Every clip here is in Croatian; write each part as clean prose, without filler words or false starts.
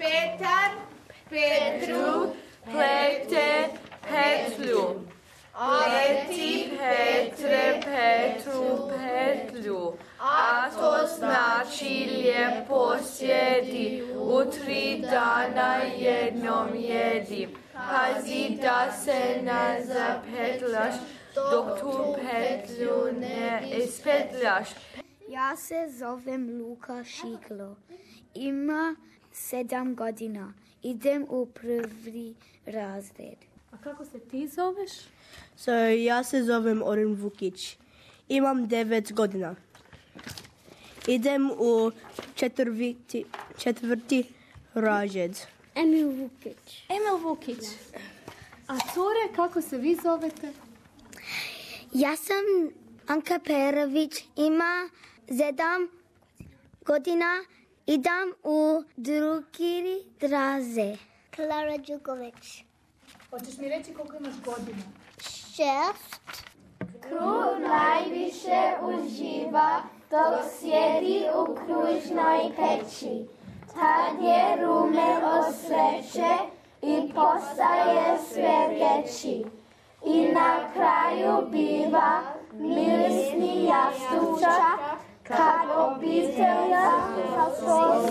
Petar Petru plete petlju. Pleti Petre Petru petlju. A to znači lijepo sjedi, u 3 dana jednom jedi. Pazi da se ne zapetljaš, dok tu petlju ne ispetljaš. Ja se zovem Luka Šiklo. Ima 7 godina. Idem u 1. razred. A kako se ti zoveš? Ja se zovem Oren Vukić. Imam 9 godina. Idem u 4. razred. Emil Vukić. Emil Vukić. A cure, kako se vi zovete? Ja sam Anka Perović. Ima 7 godina. Idem u 2. razred. Klara Đuković. Hoćeš mi reći koliko imaš godina? 6. Krug najviše uživa dok sjedi u kružnoj peći. Tad je rumen od sreće i postaje sve veći. I na kraju biva mirisni jastučak kad obitelja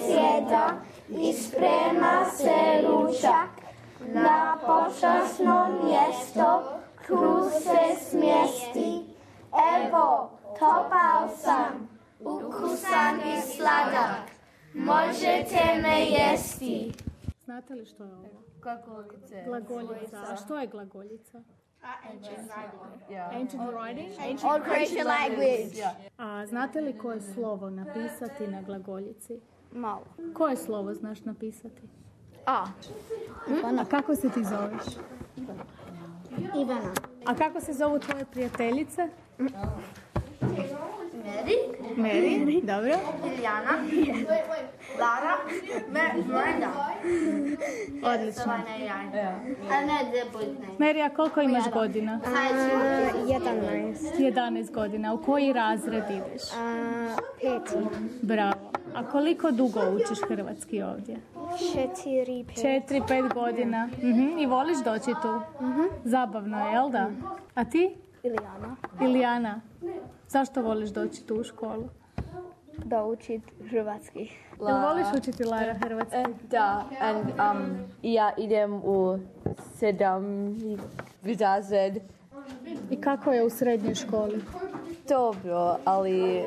sjeda i sprema se ručak. Na počasno mjesto kruh se smjesti. Evo, topao sam, ukusan i sladak. Možete me jesti. Znate li što je ovo? Glagoljice. Glagoljica. A što je glagoljica? Ancient writing? Old Croatian language. A znate li koje slovo napisati na glagoljici? Malo. Koje slovo znaš napisati? A. A kako se ti zoveš? Ivana. A kako se zovu tvoje prijateljice? Mary, dobro. Ilijana. Lara. Miranda. Odlično. A ne debutne. Mary, a koliko imaš godina? 11. 11 godina. U koji razred ideš? 5. Bravo. A koliko dugo učiš hrvatski ovdje? 4-5 godina. I voliš doći tu? Zabavno je, jel da? A ti? Ilijana. Zašto voliš doći tu u školu? Da učit hrvatski. Jel voliš učiti, Lara, hrvatski? Da, ja idem u 7. razred. I kako je u srednjoj školi? Dobro, ali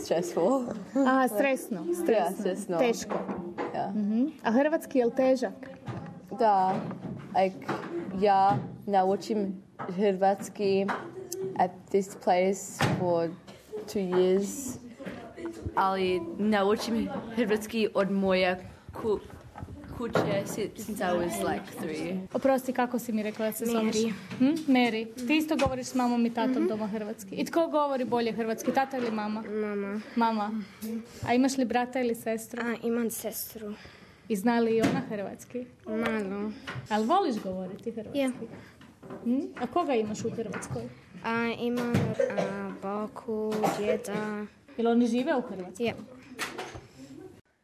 stressful. Aha, stresno. Ja, stresno. Teško. Ja. A hrvatski je li težak? Da, ja naučim hrvatski at this place for 2 years, ali naučim hrvatski od moje kuće since I was like 3. Oprosti, kako si mi rekla da se zoveš? Mary. Ti isto govoriš s mamom i tatom doma hrvatski. I tko govori bolje hrvatski, tata ili mama? Mama. A imaš li brata ili sestru? Imam sestru. I zna li i ona hrvatski? Malo. Ali voliš govoriti hrvatski? A koga imaš u Hrvatskoj? Imam baku, djeda. Jel oni žive u Hrvatskoj? Ja.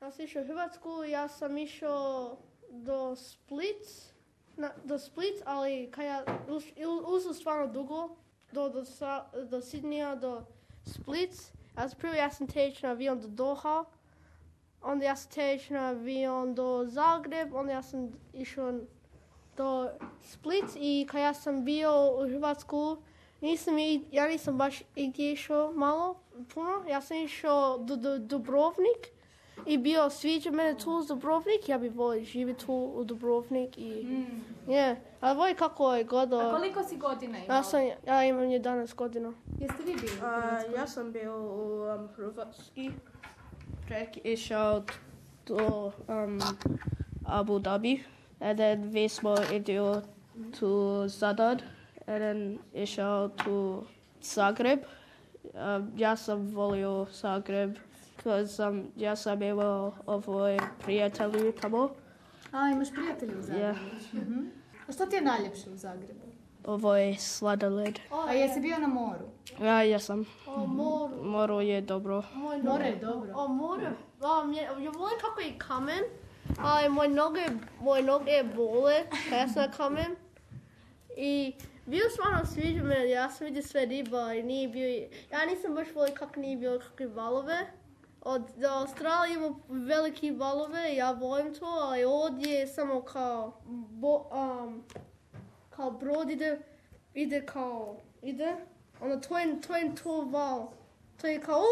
Ja sam išao u Hrvatsku, ja sam išao do Split, ali kad ja uzeo stvarno dugo, do Sidnija, do Split. Prvo ja sam teći na avion do Doha, onda ja sam teći na avion do Zagreb, onda ja sam išao do Split i kad ja sam bio u Hrvatsku, ja nisam baš igdje išao puno, ja sam išao do Dubrovnik i bio sviđa mene tu u Dubrovnik, ja bih volio živjeti tu u Dubrovnik i ali volim kako je godo. A koliko si godina imao? Ja imam 11 godina. Jeste vi bili? Ja sam bio u Hrvatski, išao do Abu Dhabi, and then vi smo išli to Zadar, and then išao to Zagreb. Ja sam volio Zagreb, ja sam imao prijatelji tamo. A, imaš prijatelji u Zagrebu? A što ti je najljepše u Zagrebu? Ovo je sladoled. A jesi bio na moru? Ja jesam. Moro je dobro. More je dobro. More. Ja volim kako je kamen Ali moje noge bole kad ja sam kamem. I bio stvarno sviđa me, ja sam vidio sve riba i nije bio... Ja nisam baš volio kako nije bilo kakve valove. Od Australije ima velike valove, ja volim to, ali ovdje je samo kao brod ide, onda to je to val. To je kao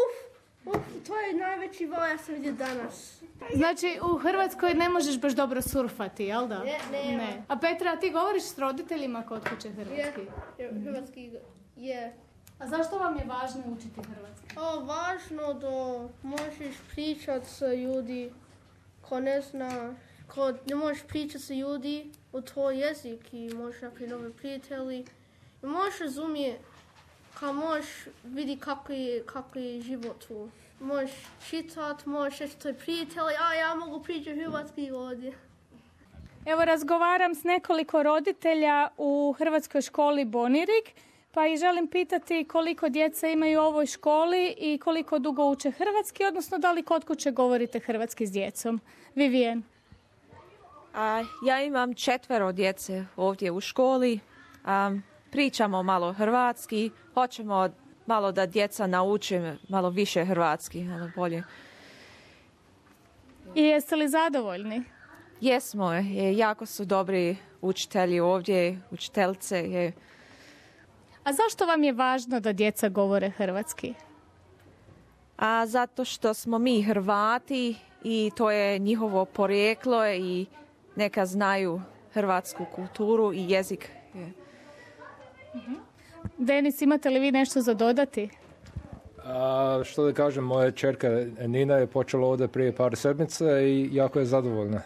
to je najveći val ja sam vidio danas. Znači, u Hrvatskoj ne možeš baš dobro surfati, jel da? Ne. A Petra, ti govoriš s roditeljima kod kuće hrvatski? Hrvatski, je. A zašto vam je važno učiti hrvatski? Važno da možeš pričati sa ljudi ko ne zna, ko ne možeš pričati sa ljudi u tvoj jezik i možeš napraviti nove prijatelji. I možeš razumjeti, kao možeš vidjeti kako je život tu. Možeš čitati, možeš reći tvoj prijatelji, ja mogu pričati hrvatski ovdje. Evo, razgovaram s nekoliko roditelja u hrvatskoj školi Bonirig, pa i želim pitati koliko djece imaju u ovoj školi i koliko dugo uče hrvatski, odnosno da li kod kuće govorite hrvatski s djecom. Vivien. Ja imam 4 djece ovdje u školi. Pričamo malo hrvatski, hoćemo malo da djeca nauče malo više hrvatski, malo bolje. I jeste li zadovoljni? Jesmo, jako su dobri učitelji ovdje, učiteljice. A zašto vam je važno da djeca govore hrvatski? Zato što smo mi Hrvati i to je njihovo porijeklo i neka znaju hrvatsku kulturu i jezik. Denis, imate li vi nešto za dodati? Što da kažem, moja čerka Nina je počela ovdje prije par sedmica i jako je zadovoljna.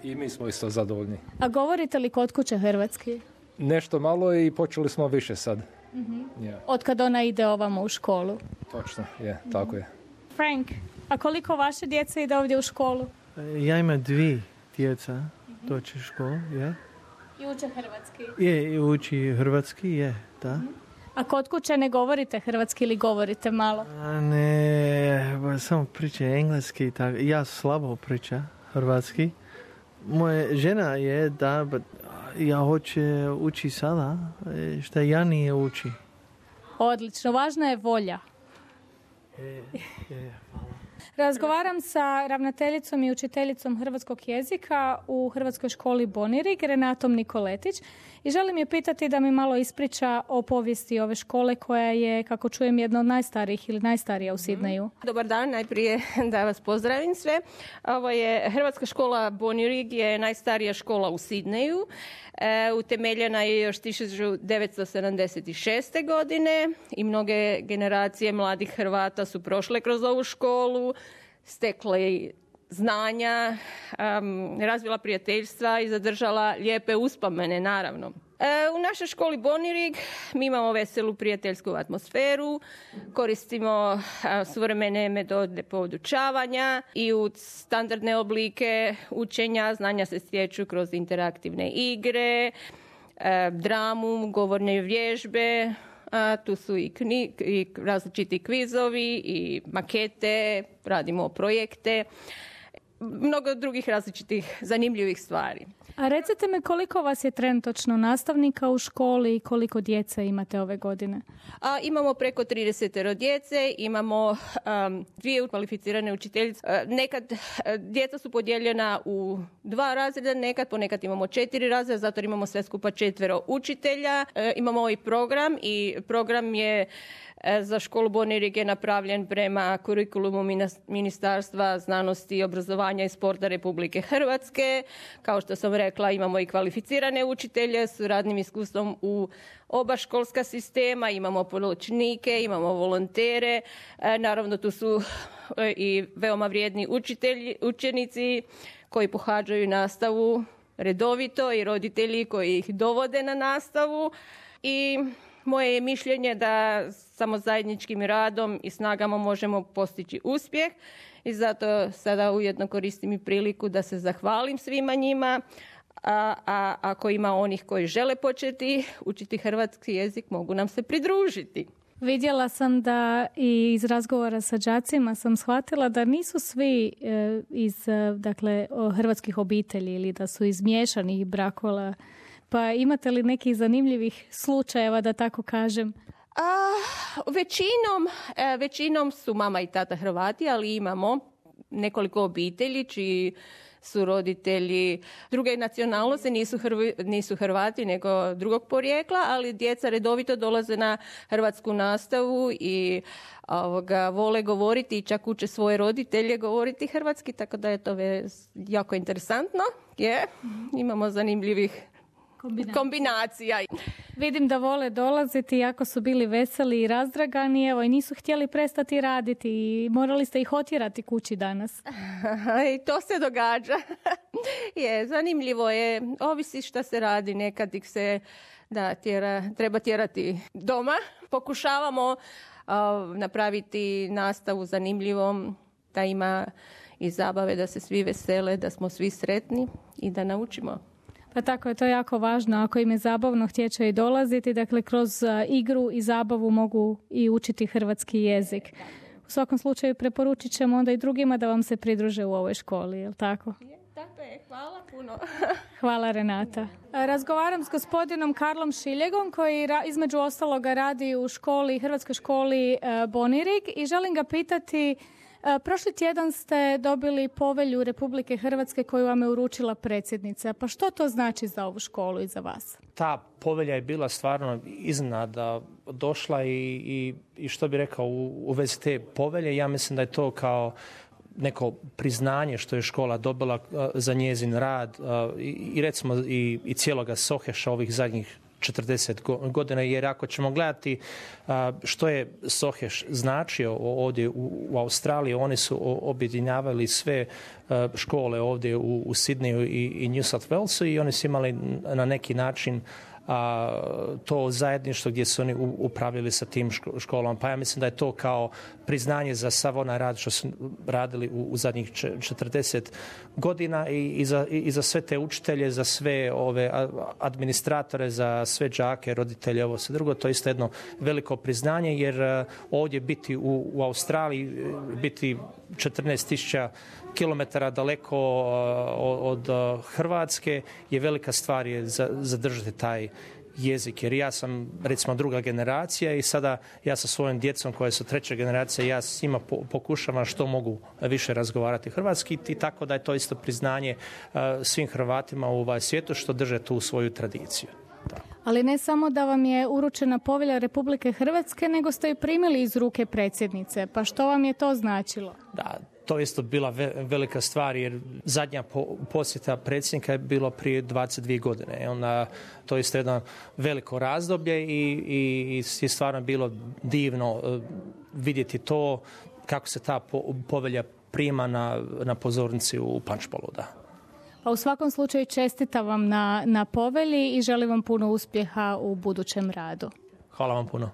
I mi smo isto zadovoljni. A govorite li kod kuće hrvatski? Nešto malo i počeli smo više sad. Od kad ona ide ovamo u školu? Točno, tako je. Frank, a koliko vaše djece ide ovdje u školu? Ja imam 2 djeca doći u školu, I uče hrvatski? I uči hrvatski, da. A kod kuće ne govorite hrvatski ili govorite malo? Ne, samo priča engleski. Ja slabo pričam hrvatski. Moja žena je da, ja hoće uči sada, što ja nije uči. Odlično, važna je volja. Hvala. Razgovaram sa ravnateljicom i učiteljicom hrvatskog jezika u Hrvatskoj školi Bonirig, Renatom Nikoletić, i želim je pitati da mi malo ispriča o povijesti ove škole koja je, kako čujem, jedna od najstarijih ili najstarija u Sidneju. Dobar dan, najprije da vas pozdravim sve. Ovo je Hrvatska škola Bonirig, je najstarija škola u Sidneju. Utemeljena je još 1976. godine i mnoge generacije mladih Hrvata su prošle kroz ovu školu, stekle znanja, razvila prijateljstva i zadržala lijepe uspomene, naravno. U našoj školi Bonirig mi imamo veselu prijateljsku atmosferu, koristimo suvremene metode podučavanja i u standardne oblike učenja. Znanja se stječu kroz interaktivne igre, dramu, govorne vježbe, tu su i različiti kvizovi i makete, radimo projekte, mnogo drugih različitih zanimljivih stvari. A recite mi koliko vas je trenutačno nastavnika u školi i koliko djece imate ove godine? Imamo preko 30 djece, imamo 2 kvalificirane učiteljice. Nekad djeca su podijeljena u 2 razreda, ponekad imamo 4 razreda, zato imamo sve skupa 4 učitelja. Imamo ovaj program i program je za školu Bonirig je napravljen prema kurikulumu Ministarstva znanosti, obrazovanja i sporta Republike Hrvatske. Kao što sam rekla, imamo i kvalificirane učitelje s radnim iskustvom u oba školska sistema, imamo pomoćnike, imamo volontere. Naravno, tu su i veoma vrijedni učenici koji pohađaju nastavu redovito i roditelji koji ih dovode na nastavu. I moje je mišljenje da samo zajedničkim radom i snagama možemo postići uspjeh i zato sada ujedno koristim i priliku da se zahvalim svima njima, a ako ima onih koji žele početi učiti hrvatski jezik, mogu nam se pridružiti. Vidjela sam da i iz razgovora sa đacima sam shvatila da nisu svi iz hrvatskih obitelji ili da su iz miješanih brakova. Pa imate li nekih zanimljivih slučajeva, da tako kažem? Većinom su mama i tata Hrvati, ali imamo nekoliko obitelji čiji su roditelji druge nacionalnosti, nisu Hrvati nego drugog porijekla, ali djeca redovito dolaze na hrvatsku nastavu i vole govoriti i čak uče svoje roditelje govoriti hrvatski, tako da je to jako interesantno. Imamo zanimljivih kombinacija. Vidim da vole dolaziti, jako su bili veseli i razdragani, i nisu htjeli prestati raditi i morali ste ih otjerati kući danas. I to se događa. Zanimljivo je, ovisi šta se radi, nekad ih se treba tjerati doma. Pokušavamo napraviti nastavu zanimljivom, da ima i zabave, da se svi vesele, da smo svi sretni i da naučimo. Pa tako je, to jako važno. Ako im je zabavno, htjeće i dolaziti. Dakle, kroz igru i zabavu mogu i učiti hrvatski jezik. U svakom slučaju preporučit ćemo onda i drugima da vam se pridruže u ovoj školi, je li tako? Tako je, hvala puno. Hvala, Renata. Razgovaram s gospodinom Karlom Šiljegom koji između ostaloga radi u hrvatskoj školi Bonirig i želim ga pitati, prošli tjedan ste dobili povelju Republike Hrvatske koju vam je uručila predsjednica. Pa što to znači za ovu školu i za vas? Ta povelja je bila stvarno iznenada došla i što bi rekao u vezi te povelje, ja mislim da je to kao neko priznanje što je škola dobila za njezin rad i recimo i cijeloga Soheša ovih zadnjih 40 godina, jer ako ćemo gledati što je Soheš značio ovdje u Australiji, oni su objedinjavali sve škole ovdje u Sidneju i New South Walesu i oni su imali na neki način to zajedništvo gdje su oni upravljali sa tim školama. Pa ja mislim da je to kao priznanje za sav onaj rad što su radili u zadnjih 40 godina i za sve te učitelje, za sve ove administratore, za sve đake, roditelje, ovo sve drugo. To je isto jedno veliko priznanje, jer ovdje biti u Australiji, biti 14.000 kilometara daleko od Hrvatske je velika stvar je zadržati taj jezik, jer ja sam recimo druga generacija i sada ja sa svojim djecom koja su treća generacija, ja s njima pokušavam što mogu više razgovarati hrvatski i tako da je to isto priznanje svim Hrvatima u svijetu što drže tu svoju tradiciju. Da. Ali ne samo da vam je uručena povelja Republike Hrvatske, nego ste ju primili iz ruke predsjednice. Pa što vam je to značilo? Da, to je isto bila velika stvar, jer zadnja posjeta predsjednika je bilo prije 22 godine. Onda, to je isto jedno veliko razdoblje i je stvarno bilo divno vidjeti to kako se ta povelja prima na pozornici u Punchbowlu. Da. Pa u svakom slučaju čestitam vam na povelji i želim vam puno uspjeha u budućem radu. Hvala vam puno.